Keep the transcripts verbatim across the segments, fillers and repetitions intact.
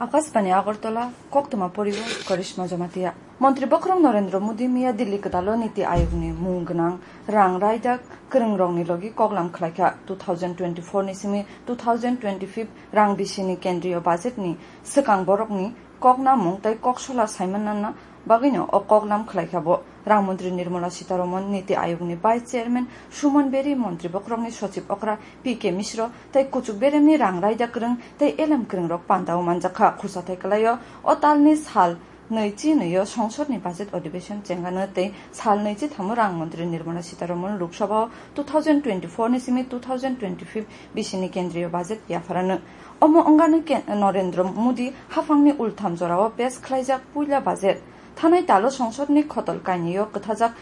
Akashbani Agartala, koktwma poribo Karishma Jamatia. Montri Bokhorok Narendra Modi miya Delhi kwtalo Niti Ayogni mung gwnang rang raida kwrwngrokni logi koklam khlaikha. Two thousand twenty-four ni simi two thousand twenty-five rang bisini kendriyo budgetni swkang borokni koknamung tei koksola saimanna bagwino o koklam khlaikha bo. Rang montri Nirmala Sitharaman, Niti Ayogni vice chairman Suman Beri, montri bokhorokni sochib okra P K Mishra tei kuchuk beremni rang raida kwrwng tei elem kwrwngrok pandao manjakha. Khursathai kwlaio o talni sal nwichi nwio songsodni budget adhibeshon chengano tei sal nwichi thamo rang montri Nirmala Sitharaman Lok Sabhao two thousand twenty-four ni simi two thousand twenty-five bisini kendriyo budget yapharano. Omo wngani ke-, Narendra Modi haphangni ultham jorao pes khlaijak puila budget. Thanai talo songsodni khotol kainwio kwthajak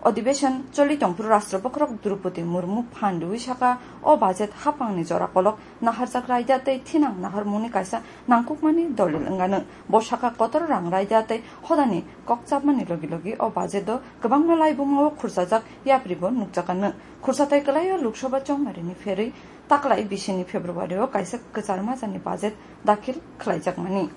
adhibeshon choli tongphuru Rashtra Bokhorok Droupadi Murmu phan rwui saka, o budget haphangni jora kolok naharjak raida tei thinang naharmungni kaisa nangkukmani dolil wngano. Bo saka kotor rang raida tei hodani kokchapmani logi logi o budget o kwbangma laibumao khursajak yapribo nukjakano. Khursathai kwlaio Lok Sabha chongmarini pherwi taklai bisini February o kaisa kwchar majani budget dakhil khlaijakmani.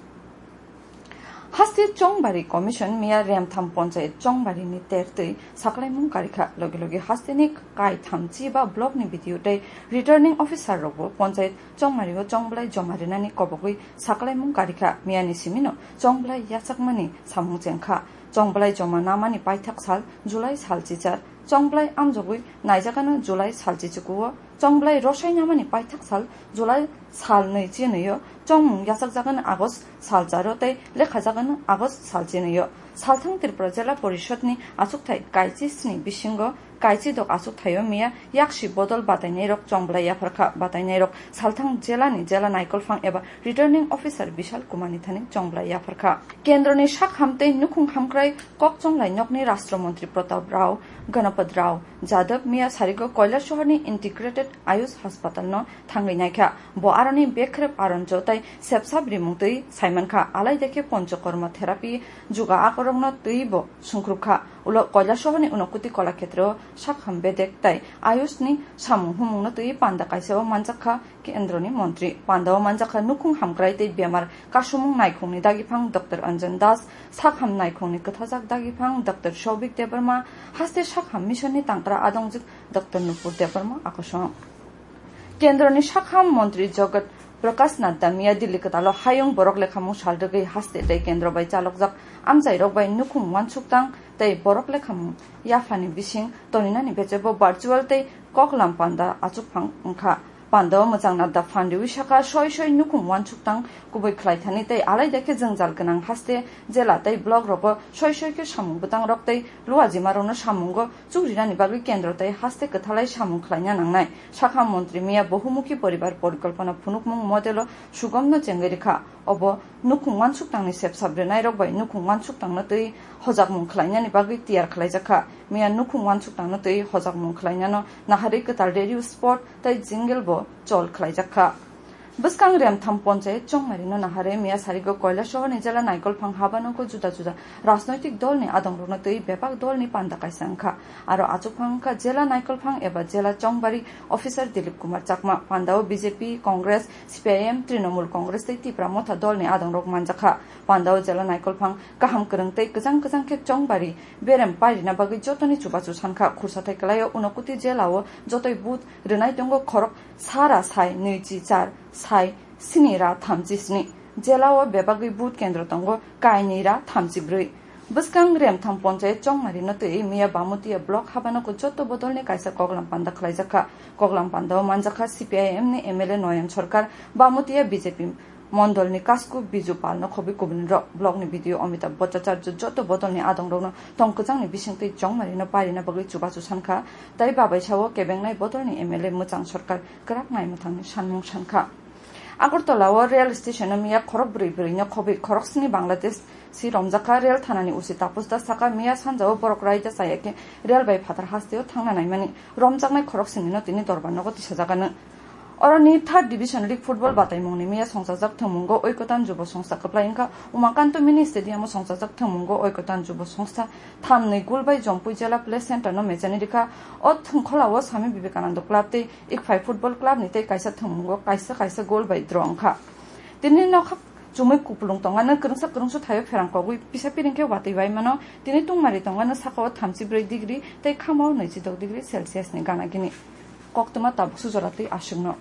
Haste Chongbari Commission miya Remtham Ponchayat Chongbari ni tertwi saklaimung karikha. Logi logi hasteni kaitham chiba block ni B D O tei returning officer rokbo Ponchayat Chongbari o chongblai joma rinani kobogwi saklaimung karikha. Miyani simino chongblai yachakmani samung chengkha. Chongblai joma namani paithak sal July sal chichar. Chongblai amjogwi naijakano July sal chichikuo. Chongblai rosai namani paithak sal July sal nwi chinwio, chongmung yachakjagano August sal charo tei lekhajakano August sal chinwio. Salthang Tripura Jela Porishadni achukthai kaichi sni bisingo kaichi dok achukthaio miya yaksi bodol batainairok chongblai yapharkha. Batainairok salthang jelani jela naikolphang eba returning officer Bishal Kumarni thani chongblai yapharkha. Kendroni sakham tei nukhung hamkrai kokchonglai nokni Rashtra Montri Pratap Rao Ganapad Rao Jadab miya sarigo Koilasohorni Integrated Ayush Hospital no thangwi naikha. Bo aroni bekrep aronjo tei sepsap rimung twi saimankha. Alai dekhe Panchakarma therapy juga akorokno twibo sungkhrupkha. Ulo Koilasohorni Unokuti Kolakhetreo sakham bedek tei Ayushni samung humungno twi panda kaisao manjakha. Kendroni montri. Pandao manjakha nukhung hamkrai tei bemar kasumung naikhungni dagiphang Doctor Anjan Das, sakham naikhungni kwthajak dagiphang Doctor Soubik Debbarma, haste sakham missionni tangkra adongjwk Doctor Nupur Debbarma akosong. Kendroni sakham montri Jagat Prakash Nadda miya Delhi kwtalo hayung borok lekhamung sal rwgwi haste tei kendro bai chalokjak amchairok bai nukhung uansuktang tei borok lekhamung yaphani bising toninani bechebo virtual tei koklam panda achukphang wngkha. Pandao mwchang Nadda phan riwi sakha, soi soi nukhung uansuktang kubui khlaithani tei alai dekhe jwngjal gwnang haste, jela tei block rogo soi soi khe samung bwtangrok tei luajimarokno samungo chukrinani bagwi kendro tei haste kwthalai samung khlaina nangnai. Sakha montri miya Bohumukhi Poribar Porikolpona phunukmung modelo sugomno chengwi rikha. Obo nukhung uansuktangni sepsap rwnairok bai nukhung uansuktangno twi hojakmung khlainani bagwi tiyar khlaijakha. Miya nukhung uansuktangno twi hojakmung khlainano naharwi kwtal radio spot tei jingle bo chol khlaijakha. Bwskang Remtham Ponchayat Chongmarino naharwi miya sarigo Koilasohorni jela naikolphang habanogo juda juda rajnoitik dolni adongrokno twi bebak dolni panda kaisa wngkha. Aro achukphang wngkha jela naikolphang eba jela chongbari officer Dilip Kumar Chakma. Pandao B J P, Congress, C P I M, Trinamool Congress tei Tipra Motha dolni adongrok manjakha. Pandao jela naikolphang kaham kwrwng tei kwchang kwchang khe chongbari berem pairina bagwi jotoni chubachu sankha. Khursathai kwlaio Unokuti jelao jotoi vote rwnai tongo khorok sara sai nwichi char sai sini ra thamchi sni. Jelao bebagwi vote kendro tongo kainwi ra thamchi bwrwi. Bwskang Remtham Ponchayat Chongmarino twi miya Bamutia block habanogo joto bodolni kaisa koklam panda khlaijakha. Koklam pandao manjakha C P I M ni M L A Noyan Sarkar, Bamutia B J P mondolni Kasku Biju Palno khobwi kubunrok. Blockni B D O Amitabh Bhattacharya joto bodolni adongrokno tong kwchangni bisingtwi Chongmarino pairina bagwi chubachu sankha, tei babaisao kebengnai bodolni M L A Mwchang Sarkar kwrak naimwthangni sanmung sankha. Agartala o rail station o miya khorok bwrwi bwrwi no khobwi khorok sni Bangladesh si romjakha. Rail thanani usi Tapus Das sakha, miya sanja o borok raida chaya khe rail bai phatar haste o thangna naimani romjaknai khorok sni no tini dorbar nogo tisajagano. Oroni third division league football bataimungni miya songchajak thwngmungo Oikotan Jubo Songstha kwplai wngkha. Umakanto Mini Stadium o songchajak thwngmungo Oikotan Jubo Songstha thamni goal bai Jompui Jela Play Center no mechani rikha. O thwngkhola o Swami Vivekananda Club tei Ikphai Football Club ni tei kaisa thwngmungo kaisa kaisa goal bai draw wngkha. Tini nokha Chumui kupulung tongano kwrwngsa kwrwngsa thaio pherang kogwi pisa piring khe watwi bai mano. Tini tungmari tongano sakao thamchi brwi degree tei khamo naichi dok degree Celsius ni gana gini. Koktwma tabuk sujora twi aswkno.